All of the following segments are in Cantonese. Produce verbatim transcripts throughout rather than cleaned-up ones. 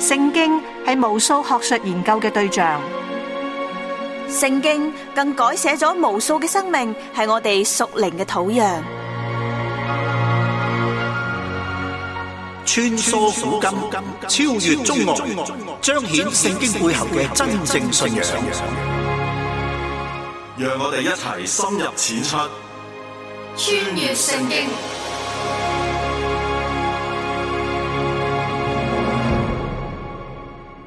聖經係無數學術研究嘅對象，聖經更改寫咗無數嘅生命，係我哋屬靈嘅土壤。穿梭古今，超越中外，彰顯聖經背後嘅真正信仰。讓我哋一齊深入淺出，穿越聖經。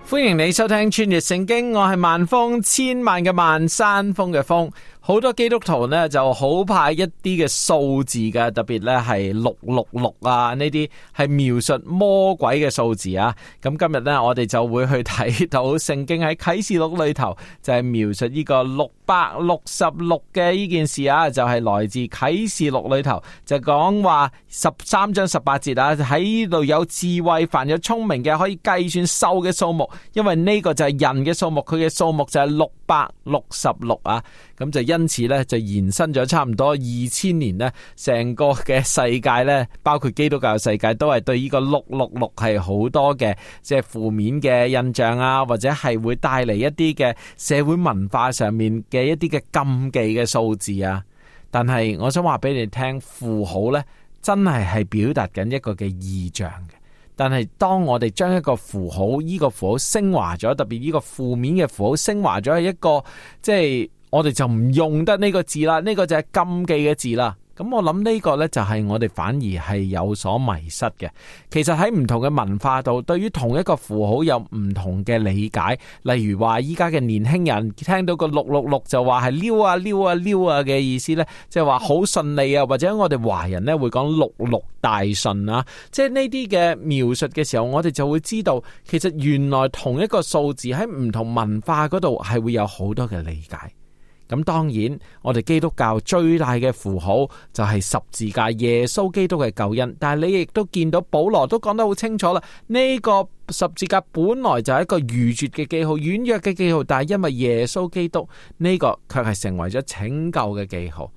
歡迎你收聽穿越聖經，我係萬峰，千萬嘅萬，山峰嘅峰。好多基督徒呢就好怕一啲嘅數字嘅，特別呢係六六六啊，呢啲係描述魔鬼嘅數字啊。咁今日呢，我哋就會去睇到聖經喺啟示錄裏頭就係描述呢個六百六十六嘅呢件事啊，就係來自啟示錄裏頭就講話十三章十八節啊，喺呢度有智慧，凡有聰明嘅可以計算獸嘅數目，因為呢個就係人嘅數目，佢嘅數目就係六百六十六啊。咁就因此咧，就延伸咗差唔多二千年呢，成個嘅世界咧，包括基督教世界，都係對呢個六六六係好多嘅即係負面嘅印象啊，或者係會帶嚟一啲嘅社會文化上面嘅一啲嘅禁忌嘅數字啊。但係我想話俾你聽，符號咧真係係表達緊一個嘅意象嘅。但係當我哋將一個符號，呢個符號升華咗，特別呢個負面嘅符號升華咗係一個即係。我哋就唔用得呢個字啦，呢個就係禁忌嘅字啦。咁我諗呢個呢，就係我哋反而係有所迷失嘅。其實喺唔同嘅文化度，對於同一個符號有唔同嘅理解。例如話依家嘅年輕人聽到個六六六就話係溜啊溜啊溜啊嘅意思呢，即係話好順利啊。或者我哋華人呢會講六六大順啊。即係呢啲嘅描述嘅時候，我哋就會知道，其實原來同一個數字喺唔同文化嗰度係會有好多嘅理解。咁當然，我哋基督教最大嘅符號就係十字架，耶穌基督嘅救恩。但係你亦都見到保羅都講得好清楚啦，呢個十字架本來就係一個愚拙嘅記號、軟弱嘅記號，但係因為耶穌基督呢個卻係成為咗拯救嘅記號，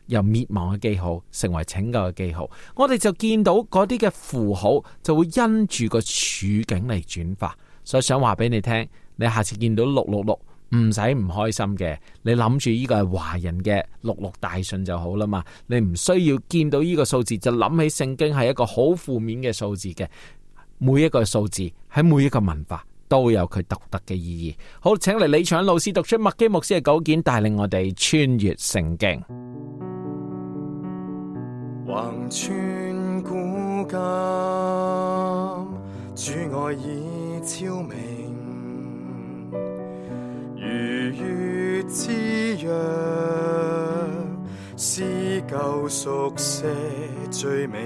由滅亡嘅記號成為拯救嘅記號。我哋就見到嗰啲嘅符號就會因住個處境嚟轉化。所以想話俾你聽，你下次見到六六六。唔使唔開心嘅，你諗住呢個係華人嘅六六大順就好啦嘛。你唔需要見到呢個數字就諗起聖經係一個好負面嘅數字嘅。每一個數字喺每一個文化都有佢獨特嘅意義。好，請嚟李長老師讀出麥基牧師嘅稿件，帶領我哋穿越聖經。橫穿古今，主愛已超明。如月之約，是救贖些罪名。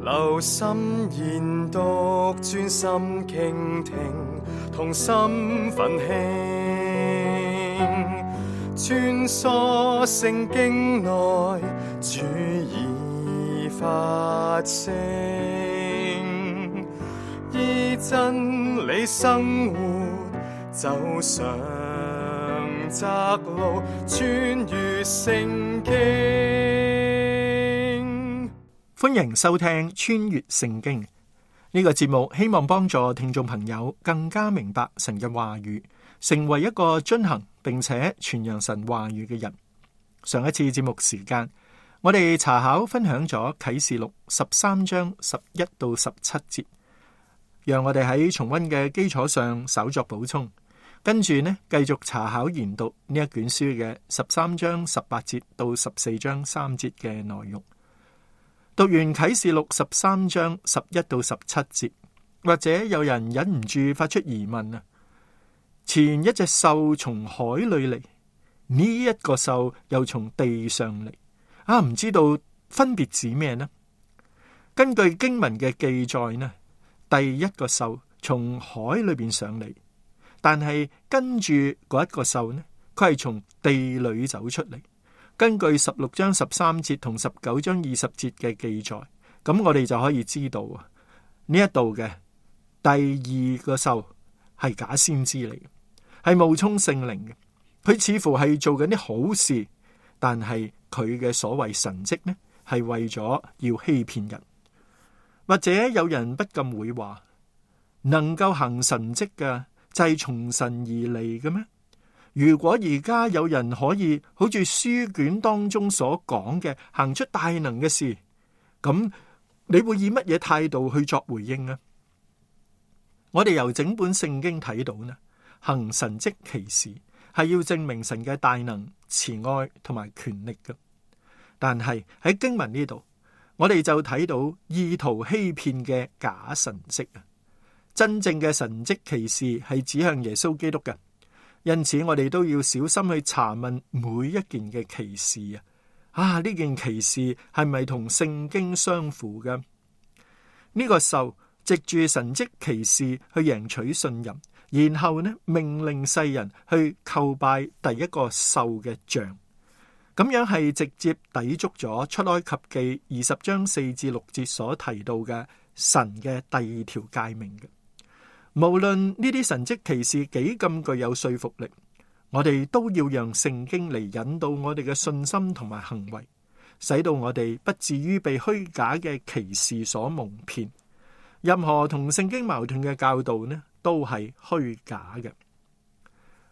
留心研讀，專心傾聽，同心奮興。穿梭聖經內，主已發聲，依真理生活。走上窄路，穿越聖經。歡迎收聽穿越聖經呢個節目，希望幫助聽眾朋友更加明白神嘅話語，成為一個遵行並且傳揚神話語嘅人。上一次節目時間，我哋查考分享咗啟示錄十三章十一到十七節，讓我哋喺重溫嘅基礎上稍作補充。跟住呢，繼續查考研讀呢一卷書嘅十三章十八節到十四章三節嘅內容。讀完啟示錄十三章十一到十七節，或者有人忍唔住發出疑問啊：前一隻獸從海裏嚟，呢一個獸又從地上嚟，啊，唔知道分別指咩呢？根據經文嘅記載呢，第一個獸從海裏邊上嚟。但係跟住嗰一個獸呢，佢係從地裏走出嚟。根據十六章十三節同十九章二十節嘅記載，咁我哋就可以知道啊，呢一度嘅第二個獸係假先知嚟嘅，係冒充聖靈嘅。佢似乎係做緊啲好事，但係佢嘅所謂神蹟呢，係為咗要欺騙人。或者有人不禁會話，能夠行神蹟嘅就係從神而嚟嘅咩？如果而家有人可以好似書卷當中所講嘅行出大能嘅事，咁你會以乜嘢態度去作回應呢？我哋由整本聖經睇到呢，行神蹟奇事係要證明神嘅大能、慈愛同埋權力嘅。但係喺經文呢度，我哋就睇到意圖欺騙嘅假神蹟啊！真正嘅神蹟奇事係指向耶穌基督嘅，因此我哋都要小心去查問每一件嘅奇事啊！啊，呢件奇事係咪同聖經相符嘅？呢個獸藉住神蹟奇事去贏取信任，然後呢命令世人去叩拜第一個獸嘅像，咁樣係直接抵觸咗出埃及記二十章四至六節所提到嘅神嘅第二條誡命嘅。無論呢啲神蹟奇事幾咁具有說服力，我哋都要讓聖經嚟引導我哋嘅信心同埋行為，使到我哋不至於被虛假嘅奇事所蒙騙。任何同聖經矛盾嘅教導呢，都係虛假嘅。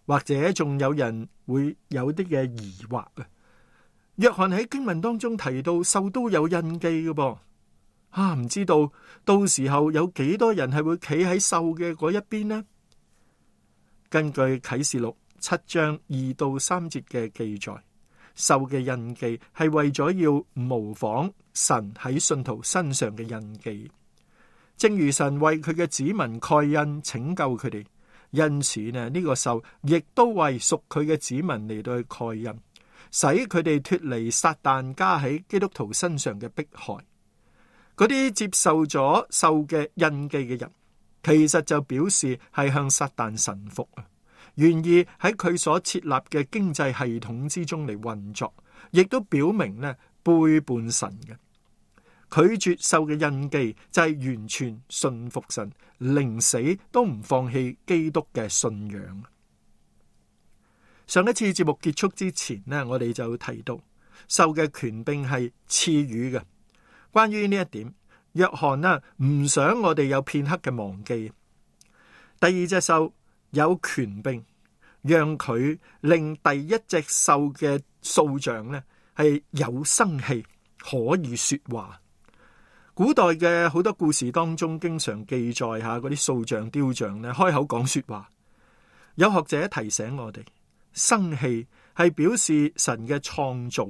或者仲有人會有啲嘅疑惑啊。約翰喺經文當中提到獸都有印記嘅噃，啊唔知道到時候有幾多人係會企喺獸嘅嗰一邊呢？根據啟示錄七章二到三節嘅記載，獸嘅印記係為咗要模仿神喺信徒身上嘅印記，正如神為佢嘅子民蓋印拯救佢哋，因此呢呢個獸亦都為屬佢嘅子民嚟到去蓋印，使佢哋脫離撒旦加喺基督徒身上嘅迫害。嗰啲接受咗獸嘅印記嘅人，其實就表示係向撒旦臣服啊，願意喺佢所設立嘅經濟系統之中嚟運作，亦都表明呢背叛神嘅。拒絕獸嘅印記就係完全信服神，寧死都唔放棄基督嘅信仰。上一次節目結束之前呢，我哋就提到獸嘅權柄係賜予嘅。關於呢一點，約翰呢唔想我哋有片刻嘅忘記。第二隻獸有權柄，讓佢令第一隻獸嘅塑像呢係有生氣，可以說話。古代嘅好多故事當中，經常記載下嗰啲塑像雕像呢開口講說話。有學者提醒我哋，生氣係表示神嘅創造。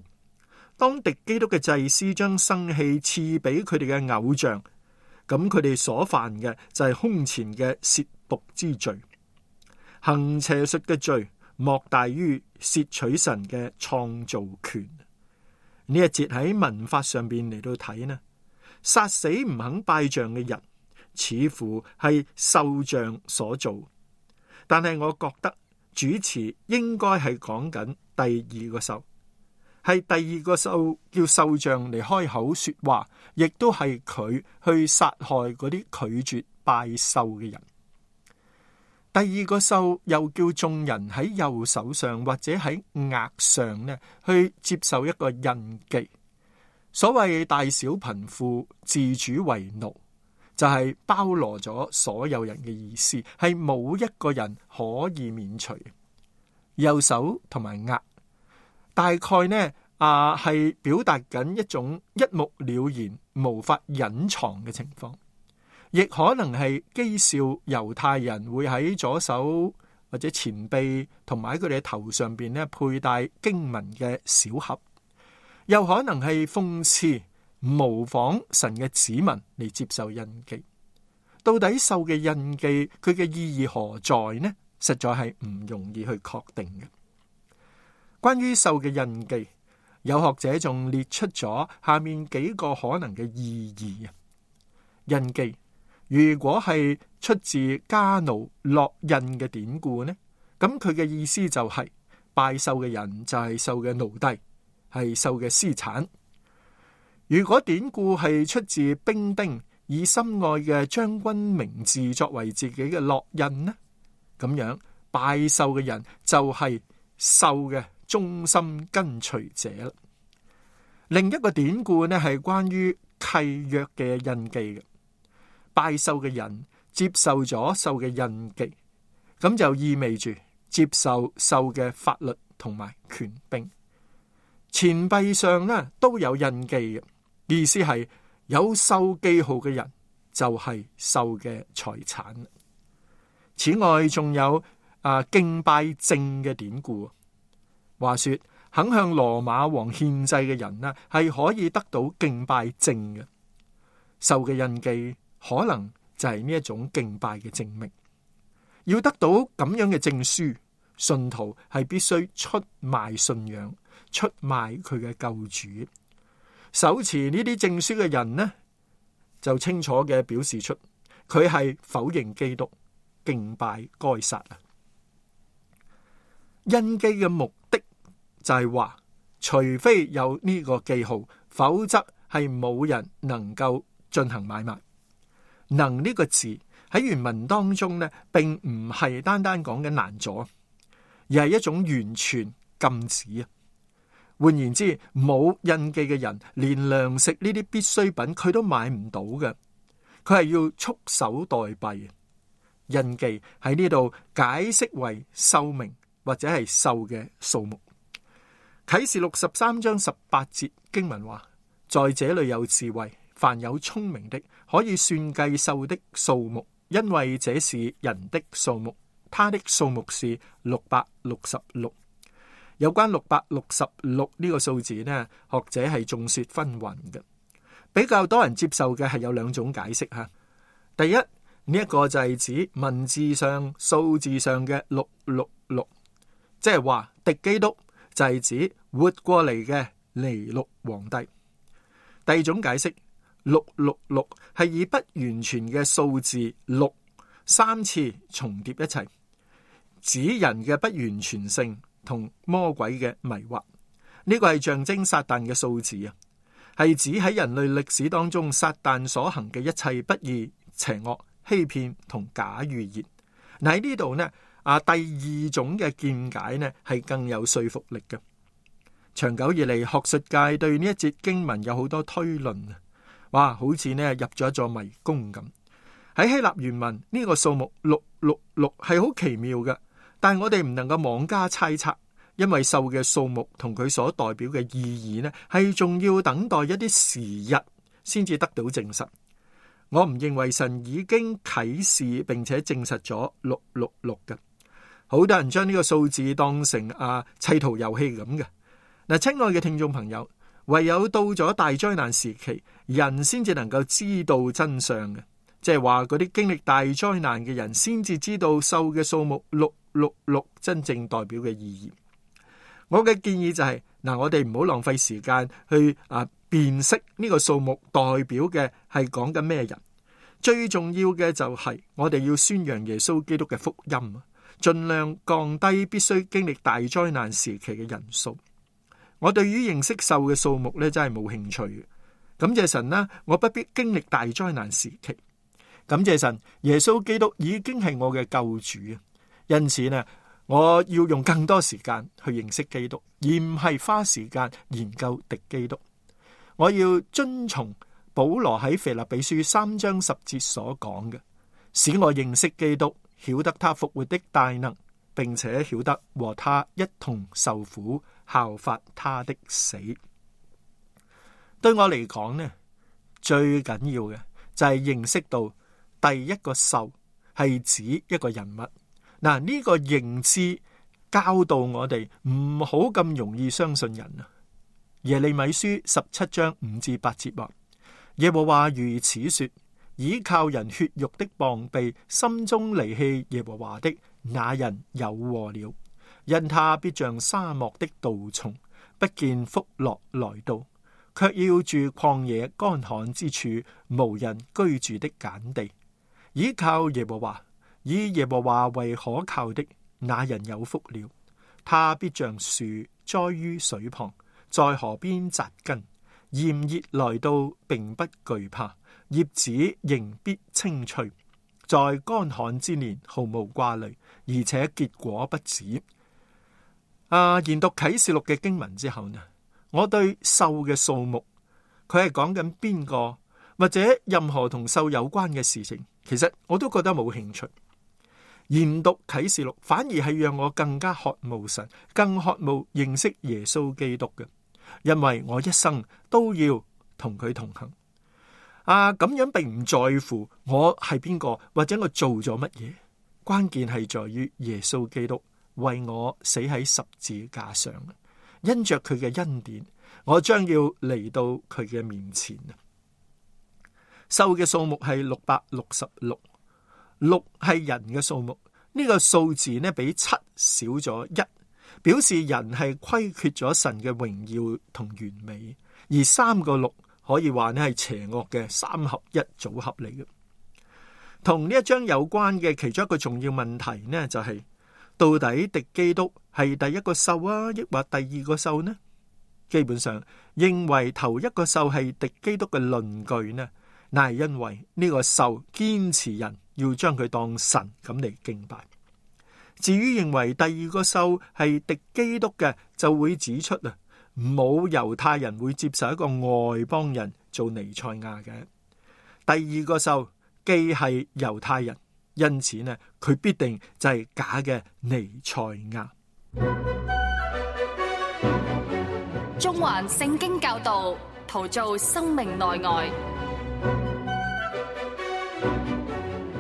當敵基督嘅祭司將生氣賜俾佢哋嘅偶像，咁佢哋所犯嘅就係空前嘅褻瀆之罪。行邪術嘅罪莫大於竊取神嘅創造權。呢一節喺文法上邊嚟到睇呢，殺死唔肯拜像嘅人，似乎係獸像所做。但係我覺得主詞應該係講緊第二個獸。係第二個獸叫獸像嚟開口說話，亦都係佢去殺害嗰啲拒絕拜獸嘅人。第二個獸又叫眾人喺右手上或者喺額上呢，去接受一個印記。所謂大小貧富自主為奴，就係、是、包羅咗所有人嘅意思，係冇一個人可以免除。右手同埋額。大概呢啊，係表達緊一種一目了然、無法隱藏嘅情況，亦可能係譏笑猶太人會喺左手或者前臂同埋喺佢哋嘅頭上邊呢佩戴經文嘅小盒，又可能係諷刺模仿神嘅子民嚟接受印記。到底獸嘅印記佢嘅意義何在呢？實在係唔容易去確定嘅。關於獸嘅印記，有學者仲列出咗下面幾個可能嘅意義啊。印記如果係出自加奴烙印嘅典故呢，咁佢嘅意思就係、是、拜獸嘅人就係獸嘅奴隸，係獸嘅私產。如果典故係出自兵丁以心愛嘅將軍名字作為自己嘅烙印呢，咁樣拜獸嘅人就係獸嘅忠心跟隨者啦。另一個典故呢係關於契約嘅印記嘅，拜獸嘅人接受咗獸嘅印記，咁就意味住接受獸嘅法律同埋權柄。錢幣上呢都有印記嘅，意思係有獸記號嘅人就係獸嘅財產。此外，仲有啊敬拜證嘅典故，話說肯向羅馬王獻祭嘅人呢，係可以得到敬拜證嘅。獸嘅印記可能就係呢一種敬拜嘅證明。要得到咁樣嘅證書，信徒係必須出賣信仰，出賣佢嘅救主。手持呢啲證書嘅人呢，就清楚嘅表示出佢係否認基督，敬拜該撒啊。印記嘅目的就係話，除非有呢個記號，否則係冇人能夠進行買賣。能呢個字喺原文當中呢，並唔係單單講緊難阻，而係一種完全禁止啊。換言之，冇印記嘅人，連糧食呢啲必需品佢都買唔到嘅，佢係要束手待斃。印記喺呢度解釋為獸名或者係獸嘅數目。啟示錄十三章十八節經文話：在這裏有智慧，凡有聰明的，可以算計獸的數目，因為這是人的數目，他的數目是六百六十六。有關六百六十六呢個數字呢，學者係眾說紛紜嘅。比較多人接受嘅係有兩種解釋吓。第一，呢一個就係指文字上、數字上嘅六六六，即係話敵基督就係指活過嚟嘅尼祿皇帝。第二種解釋，六六六係以不完全嘅數字六三次重疊一齊，指人嘅不完全性同魔鬼嘅迷惑。呢個係象徵撒旦嘅數字啊，係指喺人類歷史當中撒旦所行嘅一切不義、邪惡、欺騙同假預言。嗱，喺呢度呢啊，第二種嘅見解呢係更有說服力嘅。長久以嚟，學術界對呢一節經文有好多推論啊，哇，好似呢入咗一座迷宮咁。喺希臘原文呢個數目六六六係好奇妙嘅，但係我哋唔能夠妄加猜測，因為獸嘅數目同佢所代表嘅意義呢，係仲要等待一啲時日先至得到證實。我唔認為神已經啟示並且證實咗六六六嘅。好多人將呢個數字當成啊砌圖遊戲咁嘅。嗱，親愛嘅聽眾朋友，唯有到咗大災難時期，人先至能夠知道真相嘅，即係話嗰啲經歷大災難嘅人先至知道獸嘅數目六六六真正代表嘅意義。我嘅建議就係、是、嗱，我哋唔好浪費時間去啊辨識呢個數目代表嘅係講緊咩人。最重要嘅就係我哋要宣揚耶穌基督嘅福音，盡量降低必須經歷大災難時期嘅人數。我對於認識獸嘅數目咧，真係冇興趣。感謝神啦，我不必經歷大災難時期。感謝神，耶穌基督已經係我嘅救主啊！因此呢，我要用更多時間去認識基督，而唔係花時間研究敵基督。我要遵從保羅喺腓立比書三章十節所講嘅，使我認識基督，曉得他復活的大能，並且曉得和他一同受苦，效法他的死。對我嚟講呢，最緊要嘅就係認識到第一個獸係指一個人物。嗱，呢個認知教導我哋唔好咁容易相信人啊。耶利米書十七章五至八節話：耶和華如此說，倚靠人血肉的膀臂，心中離棄耶和華的那人有禍了，因他必像沙漠的杜松，不見福樂來到，卻要住曠野乾旱之處，無人居住的鹼地。倚靠耶和華，以耶和華為可靠的那人有福了，他必像樹栽於水旁，在河邊扎根，炎熱來到並不懼怕，葉子仍必青翠，在乾旱之年毫無掛慮，而且結果不止。啊，研讀啟示錄嘅經文之後呢，我對獸嘅數目，佢係講緊邊個，或者任何同獸有關嘅事情，其實我都覺得冇興趣。研讀啟示錄反而係讓我更加渴慕神，更渴慕認識耶穌基督嘅，因為我一生都要同佢同行。啊，咁樣並唔在乎我係邊個或者我做咗乜嘢，關鍵係在於耶穌基督為我死喺十字架上，因着佢嘅恩典，我將要嚟到佢嘅面前。獸嘅數目係六百六十六。六係人嘅數目，呢、這個數字呢比七少咗一，表示人係虧缺咗神嘅榮耀同完美。而三個六可以話呢係邪惡嘅三合一組合嚟嘅。同呢一章有關嘅其中一個重要問題呢，就係、是、到底敵基督係第一個獸啊，抑或第二個獸呢？基本上認為頭一個獸係敵基督嘅論據呢，乃係因為呢個獸堅持人要將佢當神咁嚟敬拜。至於認為第二個獸係敵基督嘅，就會指出啊，冇猶太人會接受一個外邦人做彌賽亞嘅。第二個獸既係猶太人，因此呢，佢必定就係假嘅彌賽亞。中環聖經教導，陶造生命內外。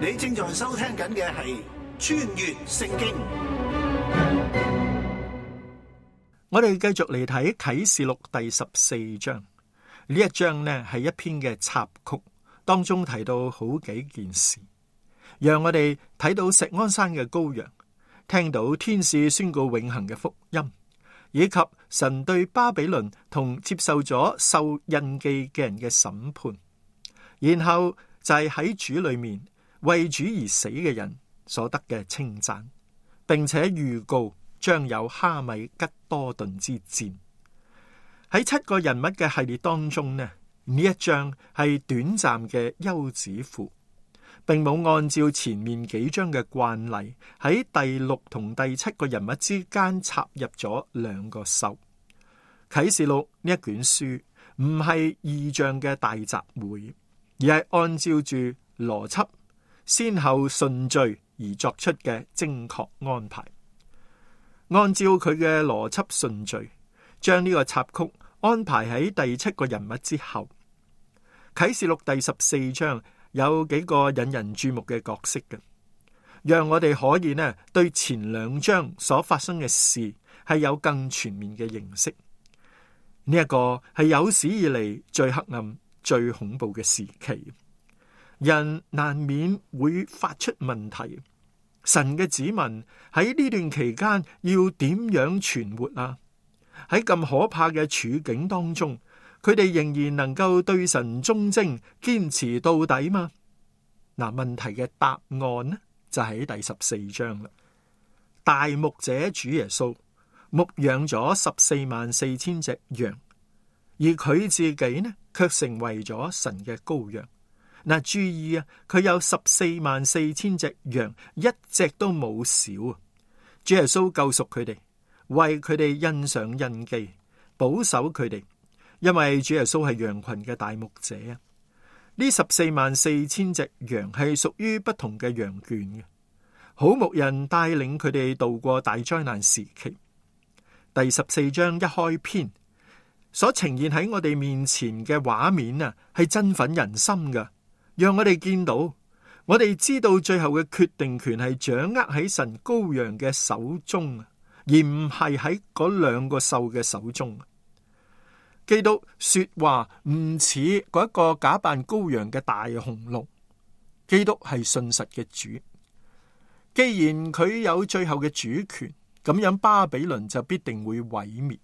你正在收聽緊嘅係穿越聖經。我哋繼續嚟睇啟示錄第十四章。呢一章呢係一篇嘅插曲，當中提到好幾件事，讓我哋睇到錫安山嘅羔羊，聽到天使宣告永恆嘅福音，以及神對巴比倫同接受咗獸印記嘅人嘅審判，然後就係喺主裏面為主而死嘅人所得嘅稱讚，並且預告將有哈米吉多頓之戰。喺七個人物嘅系列當中呢，呢一章係短暫嘅休止符，並冇按照前面幾章嘅慣例喺第六同第七個人物之間插入咗兩個獸。啟示錄呢一卷書唔係異象嘅大集會，而係按照住邏輯先後順序而作出嘅精確安排。按照佢嘅邏輯順序，將呢個插曲安排喺第七個人物之後。啟示錄第十四章有幾個引人注目嘅角色嘅，讓我哋可以呢對前兩章所發生嘅事係有更全面嘅認識。呢、這、一個係有史以嚟最黑暗、最恐怖嘅時期，人難免會發出問題。神嘅子民喺呢段期間要點樣存活啊？喺咁可怕嘅處境當中，佢哋仍然能夠對神忠貞、堅持到底嗎？嗱，問題嘅答案呢就喺第十四章啦。大牧者主耶穌牧養咗十四萬四千隻羊，而佢自己呢卻成為咗神嘅羔羊。嗱，注意啊，佢有十四萬四千隻羊，一隻都冇少啊！主耶穌救贖佢哋，為佢哋印上印記，保守佢哋，因為主耶穌係羊群嘅大牧者啊！呢十四萬四千隻羊係屬於不同嘅羊圈嘅，好牧人帶領佢哋度過大災難時期。第十四章一開篇所呈現喺我哋面前嘅畫面啊，係振奮人心㗎。讓我哋見到，我哋知道最後嘅決定權係掌握喺神羔羊嘅手中，而唔係喺嗰兩個獸嘅手中。基督說話唔似嗰一個假扮羔羊嘅大雄鹿，基督係信實嘅主。既然佢有最後嘅主權，咁樣巴比倫就必定會毀滅。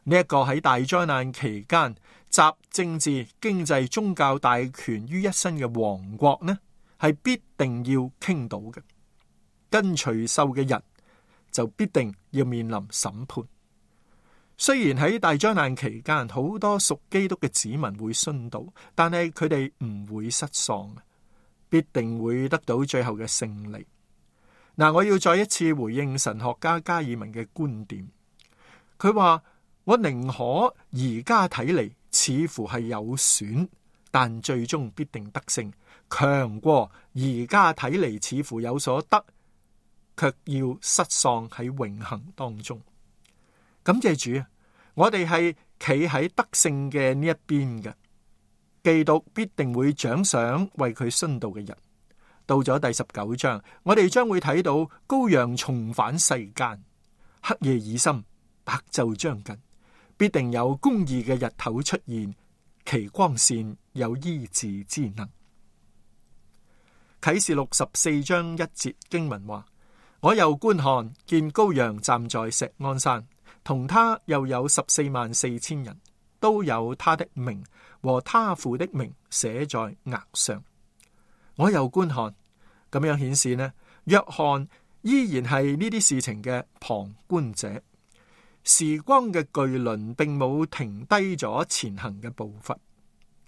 呢、這、一個喺大災難期間集政治、經濟、宗教大權於一身嘅王國呢，係必定要傾倒嘅。跟隨獸嘅人就必定要面臨審判。雖然喺大災難期間好多屬基督嘅子民會殉道，但係佢哋唔會失喪，必定會得到最後嘅勝利。嗱，我要再一次回應神學家加爾文嘅觀點，佢話：我寧可而家睇嚟似乎係有損，但最終必定得勝，強過而家睇嚟似乎有所得，卻要失喪喺永恆當中。感謝主啊！我哋係企喺得勝嘅呢一邊嘅，基督必定會獎賞為佢殉道嘅人。到咗第十九章，我哋將會睇到羔羊重返世間，黑夜已深，白晝將近，必定有公義嘅日頭出現，其光線有醫治之能。啟示錄十四章一節經文話：我又觀看，見羔羊站在錫安山，同他又有十四萬四千人，都有他的名和他父的名寫在額上。我又觀看，咁樣顯示呢，約翰依然係呢啲事情嘅旁觀者。時光嘅巨輪並冇停低咗前行嘅步伐，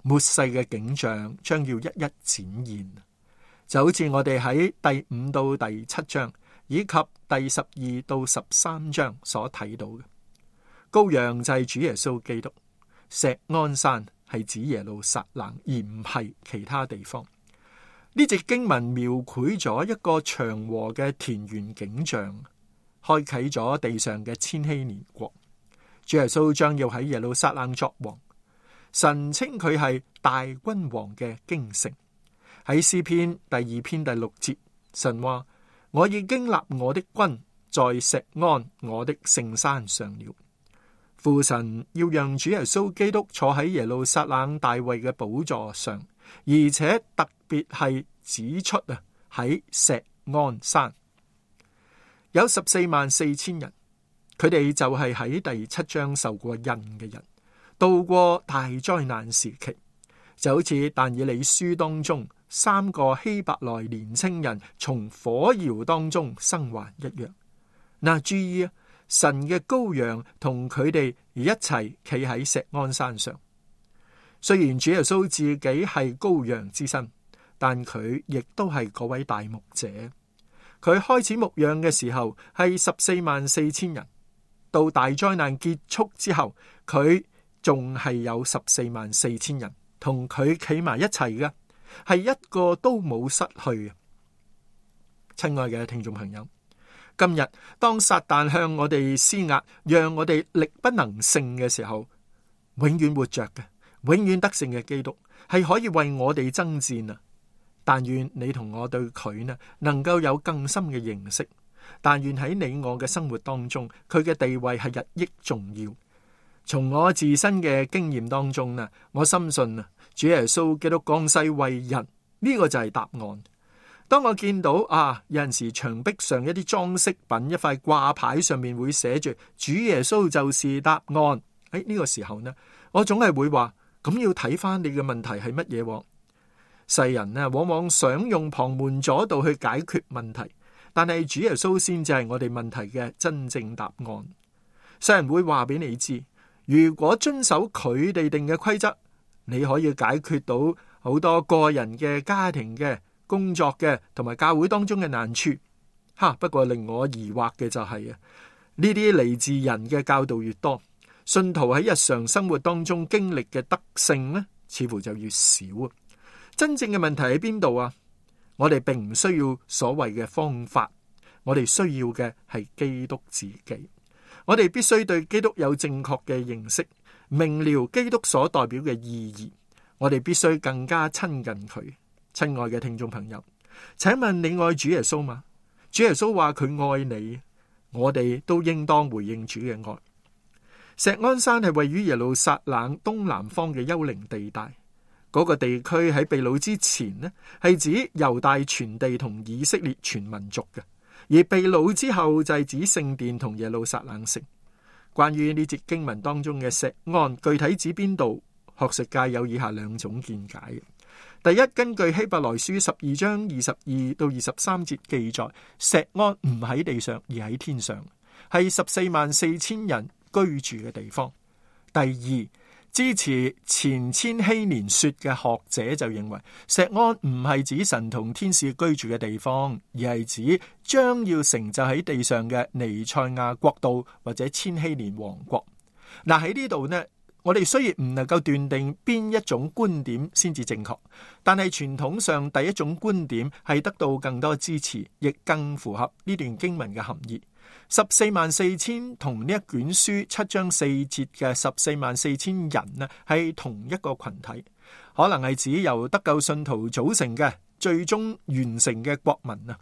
末世嘅景象將要一一展現，就好似我哋喺第五到第七章以及第十二到十三章所睇到嘅。羔羊就係主耶穌基督，錫安山係指耶路撒冷，而唔係其他地方。呢節經文描繪咗一個祥和嘅田園景象，開啟咗地上嘅千禧年國。主耶穌將要喺耶路撒冷作王，神稱佢係大君王嘅京城。喺詩篇第二篇第六節，神話：我已經立我的君在錫安我的聖山上了。父神要讓主耶穌基督坐喺耶路撒冷大衛嘅寶座上，而且特別係指出啊，喺錫安山有十四萬四千人，佢哋就係喺第七章受過印嘅人，度過大災難時期，就好似但以理書當中三個希伯來年青人從火窯當中生還一樣。嗱，注意啊，神嘅羔羊同佢哋一齊企喺錫安山上。雖然主耶穌自己係羔羊之身，但佢亦都係嗰位大牧者。佢開始牧養嘅時候係十四萬四千人，到大災難結束之後，佢仲係有十四萬四千人同佢企埋一齊嘅，係一個都冇失去嘅。親愛嘅聽眾朋友，今日當撒旦向我哋施壓，讓我哋力不能勝嘅時候，永遠活着嘅，永遠得勝嘅基督係可以為我哋爭戰啊！但願你同我對佢呢，能夠有更深嘅認識。但願喺你我嘅生活當中，佢嘅地位係日益重要。從我自身嘅經驗當中呢，我深信啊，主耶穌基督降世為人，呢個就係答案。當我見到啊，有陣時牆壁上一啲裝飾品，一塊掛牌上面會寫住主耶穌就是答案。喺呢個時候呢，我總係會話，咁要睇翻你嘅問題係乜嘢？世人呢，往往想用旁門左道去解決問題，但係主耶穌先至係我哋問題嘅真正答案。世人會話俾你知，如果遵守佢哋定嘅規則，你可以解決到好多個人嘅、家庭嘅、工作嘅同埋教會當中嘅難處。哈！不過令我疑惑嘅就係啊，呢啲嚟自人嘅教導越多，信徒喺日常生活當中經歷嘅得勝呢，似乎就越少啊。真正嘅問題喺邊度啊？我哋並唔需要所謂嘅方法，我哋需要嘅係基督自己。我哋必須對基督有正確嘅認識，明了基督所代表嘅意義。我哋必須更加親近佢。親愛嘅聽眾朋友，請問你愛主耶穌嗎？主耶穌話佢愛你，我哋都應當回應主嘅愛。錫安山係位於耶路撒冷東南方嘅幽靈地帶。嗰個地區喺被擄之前呢，係指猶大全地同以色列全民族嘅；而被擄之後就係指聖殿同耶路撒冷城。關於呢節經文當中嘅錫安，具體指邊度？學術界有以下兩種見解。第一，根據希伯來書十二章二十二到二十三節記載，錫安唔喺地上而喺天上，係十四萬四千人居住嘅地方。第二，支持前千禧年說嘅學者就認為，錫安唔係指神同天使居住嘅地方，而係指將要成就喺地上嘅彌賽亞國度或者千禧年王國。嗱，喺呢度呢，我哋雖然唔能夠斷定邊一種觀點先至正確，但係傳統上第一種觀點係得到更多支持，亦更符合呢段經文嘅含義。十四萬四千同呢一卷書七章四節嘅十四萬四千人呢，係同一個群體，可能係指由得救信徒組成嘅最終完成嘅國民啊。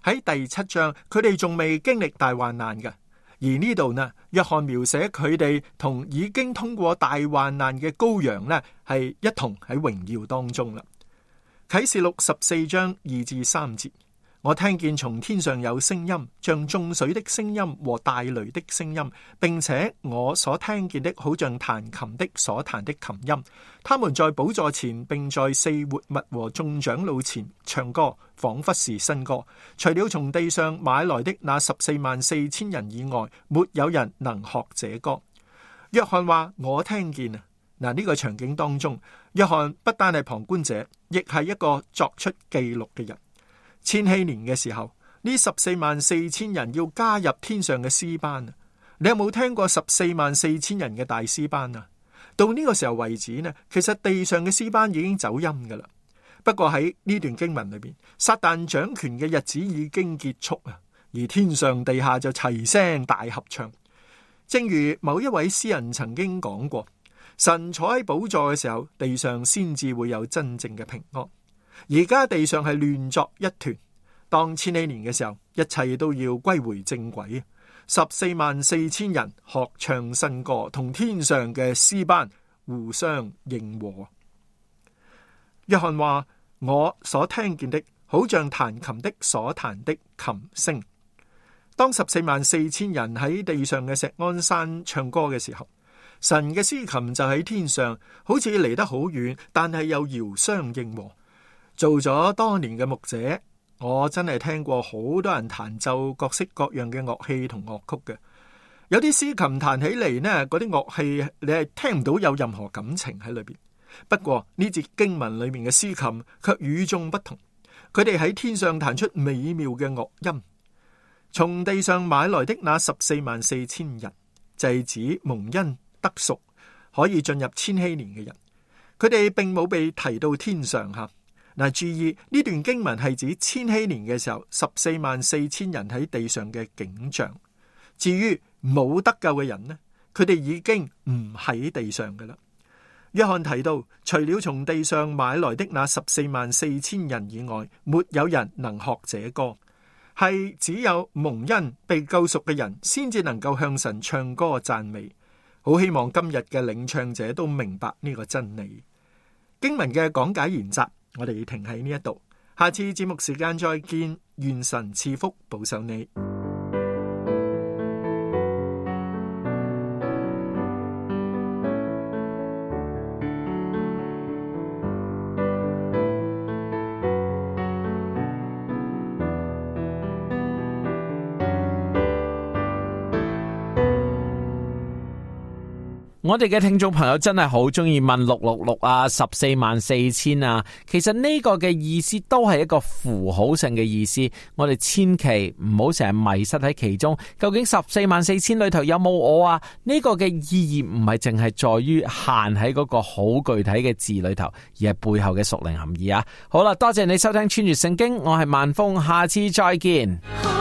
喺第七章，佢哋仲未經歷大患難嘅。而呢度呢，約翰描寫佢哋同已經通過大患難嘅羔羊呢，係一同喺榮耀當中啦。啟示錄十四章二至三節，我聽見從天上有聲音，像眾水的聲音和大雷的聲音，並且我所聽見的好像彈琴的所彈的琴音。他們在寶座前，並在四活物和眾長老前唱歌，仿佛是新歌。除了從地上買來的那十四萬四千人以外，沒有人能學這歌。約翰話：我聽見啊！嗱，呢個場景當中，約翰不單係旁觀者，亦係一個作出記錄嘅人。千禧年嘅時候，呢十四萬四千人要加入天上嘅詩班啊！你有冇聽過十四萬四千人嘅大詩班啊？到呢個時候為止呢，其實地上嘅詩班已經走音噶啦。不過喺呢段經文裏邊，撒旦掌權嘅日子已經結束啊，而天上地下就齊聲大合唱。正如某一位詩人曾經講過，神坐喺寶座嘅時候，地上先至會有真正嘅平安。而家地上係亂作一團，當千禧年嘅時候，一切都要歸回正軌。十四萬四千人學唱新歌，同天上嘅詩班互相應和。約翰話：我所聽見的，好像彈琴的所彈的琴聲。當十四萬四千人喺地上嘅錫安山唱歌嘅時候，神嘅詩琴就喺天上，好似離得好遠，但係又遙相應和。做咗多年嘅牧者，我真係聽過好多人彈奏各式各樣嘅樂器同樂曲嘅。有啲詩琴彈起嚟呢，嗰啲樂器你係聽唔到有任何感情喺裏邊。不過呢節經文裏面嘅詩琴卻與眾不同，佢哋喺天上彈出美妙嘅樂音。從地上買來的那十四萬四千人，就係指蒙恩得贖可以進入千禧年嘅人。佢哋並冇被提到天上吓。嗱，注意呢段經文係指千禧年嘅時候，十四萬四千人喺地上嘅景象。至於冇得救嘅人呢，佢哋已經唔喺地上噶啦。約翰提到，除了從地上買來的那十四萬四千人以外，沒有人能學這歌，係只有蒙恩被救贖嘅人先至能夠向神唱歌讚美。好希望今日嘅領唱者都明白呢個真理。經文嘅講解研習，我哋停喺呢一度，下次節目時間再見，願神賜福保守你。我哋嘅聽眾朋友真係好中意問六六六啊，十四萬四千啊，其實呢個嘅意思都係一個符號性嘅意思，我哋千祈唔好成日迷失喺其中。究竟十四萬四千裏頭有冇我啊？呢個嘅意義唔係淨係在於限喺嗰個好具體嘅字裏頭，而係背後嘅屬靈含義啊！好啦，多謝你收聽穿越聖經，我係萬峰，下次再見。